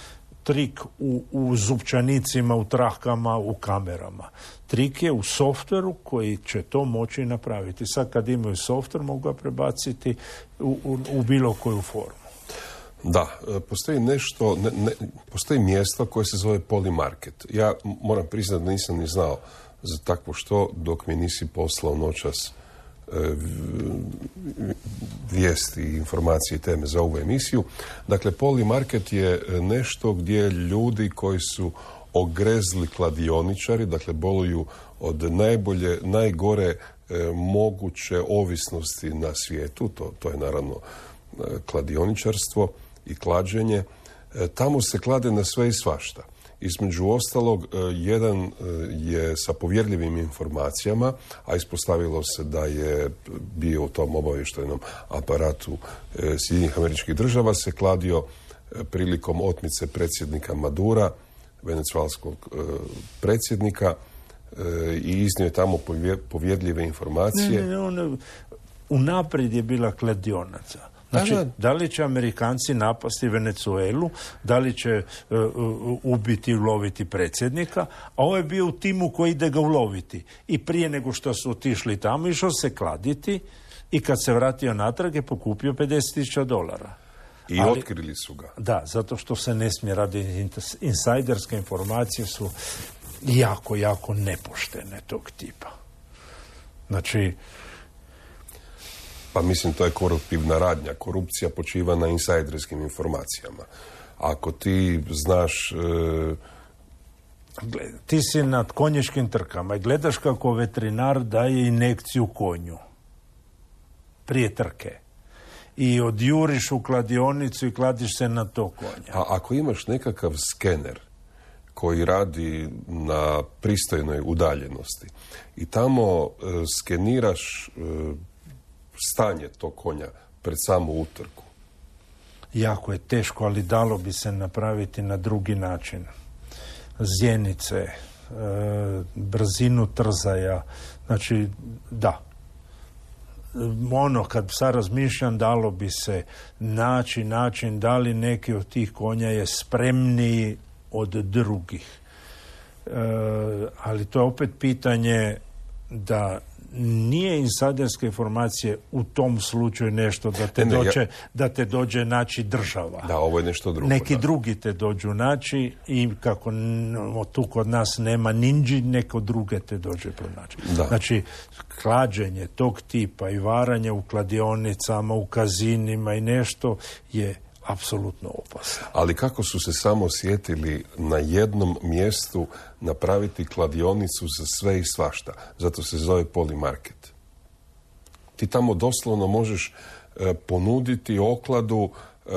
trik u, u zupčanicima, u trahkama, u kamerama. Trik je u softveru koji će to moći napraviti. Sad kad imaju softver, mogu ga prebaciti u, u, u bilo koju formu. Da, postoji nešto, ne, ne, postoji mjesto koje se zove Polymarket. Ja moram priznati da nisam ni znao za takvo što dok mi nisi poslao noćas vijesti, informacije i teme za ovu emisiju. Dakle, Polymarket je nešto gdje ljudi koji su ogrezli kladioničari, dakle boluju od najbolje, najgore e, moguće ovisnosti na svijetu, to, to je naravno e, kladioničarstvo i klađenje. E, tamo se klade na sve i svašta. Između ostalog, jedan je sa povjerljivim informacijama, a ispostavilo se da je bio u tom obavještajnom aparatu Sjedinjenih Američkih Država, se kladio prilikom otmice predsjednika Madura, venecualskog predsjednika, i iznio je tamo povjerljive informacije. Ne, ne, on, unaprijed je bila kladionaca. Znači, da li će Amerikanci napasti Venezuelu, da li će uh, uh, ubiti i uloviti predsjednika, a ovo je bio u timu koji ide ga uloviti. I prije nego što su otišli tamo, išao se kladiti i kad se vratio natrag je pokupio pedeset tisuća dolara. I ali, otkrili su ga. Da, zato što se ne smije raditi. Insajderske informacije su jako, jako nepoštene tog tipa. Znači, pa mislim, to je koruptivna radnja. Korupcija počiva na insajderskim informacijama. Ako ti znaš... E... Gled, ti si na konjičkim trkama i gledaš kako veterinar daje injekciju konju prije trke. I odjuriš u kladionicu i kladiš se na to konja. A ako imaš nekakav skener koji radi na pristojnoj udaljenosti i tamo e, skeniraš... E, stanje tog konja pred samu utrku. Jako je teško, ali dalo bi se napraviti na drugi način. Zjenice, e, brzinu trzaja, znači, da. Ono, kad sad razmišljam, dalo bi se naći način da li neki od tih konja je spremniji od drugih. E, ali to je opet pitanje da nije insajderske informacije u tom slučaju nešto da te, Ne, ne, dođe, ja- da te dođe naći država. Da, ovo je nešto drugo. Neki da. drugi te dođu naći i kako n- tu kod nas nema ninđi, neko druge te dođe pronaći. Da. Znači, klađenje tog tipa i varanje u kladionicama, u kazinima i nešto je apsolutno opasno. Ali kako su se samo sjetili na jednom mjestu napraviti kladionicu za sve i svašta. Zato se zove Polimarket. Ti tamo doslovno možeš e, ponuditi okladu, e,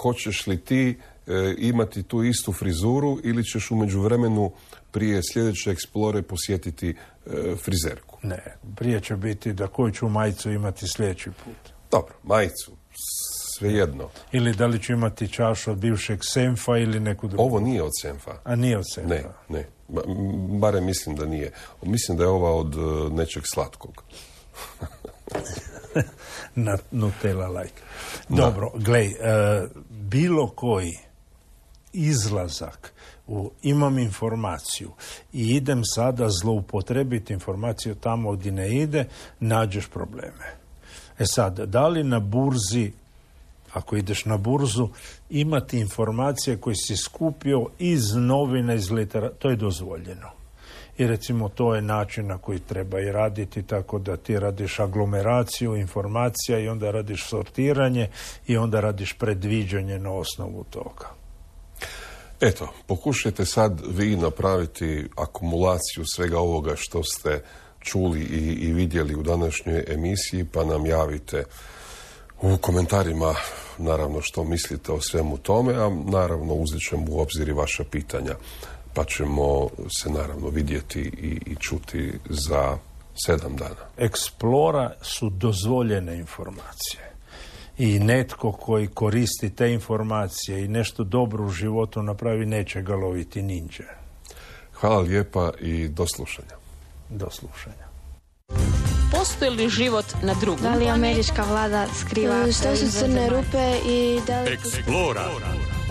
hoćeš li ti e, imati tu istu frizuru ili ćeš u međuvremenu prije sljedeće eksplore posjetiti e, frizerku. Ne, prije će biti da koju ću majicu imati sljedeći put. Dobro, majicu, svejedno. Ili da li ću imati čašu od bivšeg Senfa ili neku drugu. Ovo nije od Senfa. A nije od Senfa. Ne, ne. Ba- m, Barem mislim da nije. Mislim da je ova od e, nečeg slatkog. Na Nutella like. Dobro, glej, e, bilo koji izlazak u imam informaciju i idem sada zloupotrebiti informaciju tamo gdje ne ide, nađeš probleme. E sad, da li na burzi, ako ideš na burzu, imati informacije koje si skupio iz novina, iz literature, to je dozvoljeno. I recimo to je način na koji treba i raditi, tako da ti radiš aglomeraciju informacija i onda radiš sortiranje i onda radiš predviđanje na osnovu toga. Eto, pokušajte sad vi napraviti akumulaciju svega ovoga što ste čuli i, i vidjeli u današnjoj emisiji, pa nam javite u komentarima naravno što mislite o svemu tome, a naravno uzet ćemo u obzir i vaša pitanja, pa ćemo se naravno vidjeti i, i čuti za sedam dana. Eksplora su dozvoljene informacije. I netko koji koristi te informacije i nešto dobro u životu napravi, neće ga loviti ninđe. Hvala lijepa i do slušanja. Do slušanja. Postoji li život na drugom? Da li američka vlada skriva Što su crne rupe i da li... Eksplora.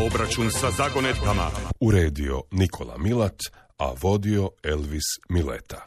Obračun sa zagonetkama. Uredio Nikola Milat, a vodio Elvis Mileta.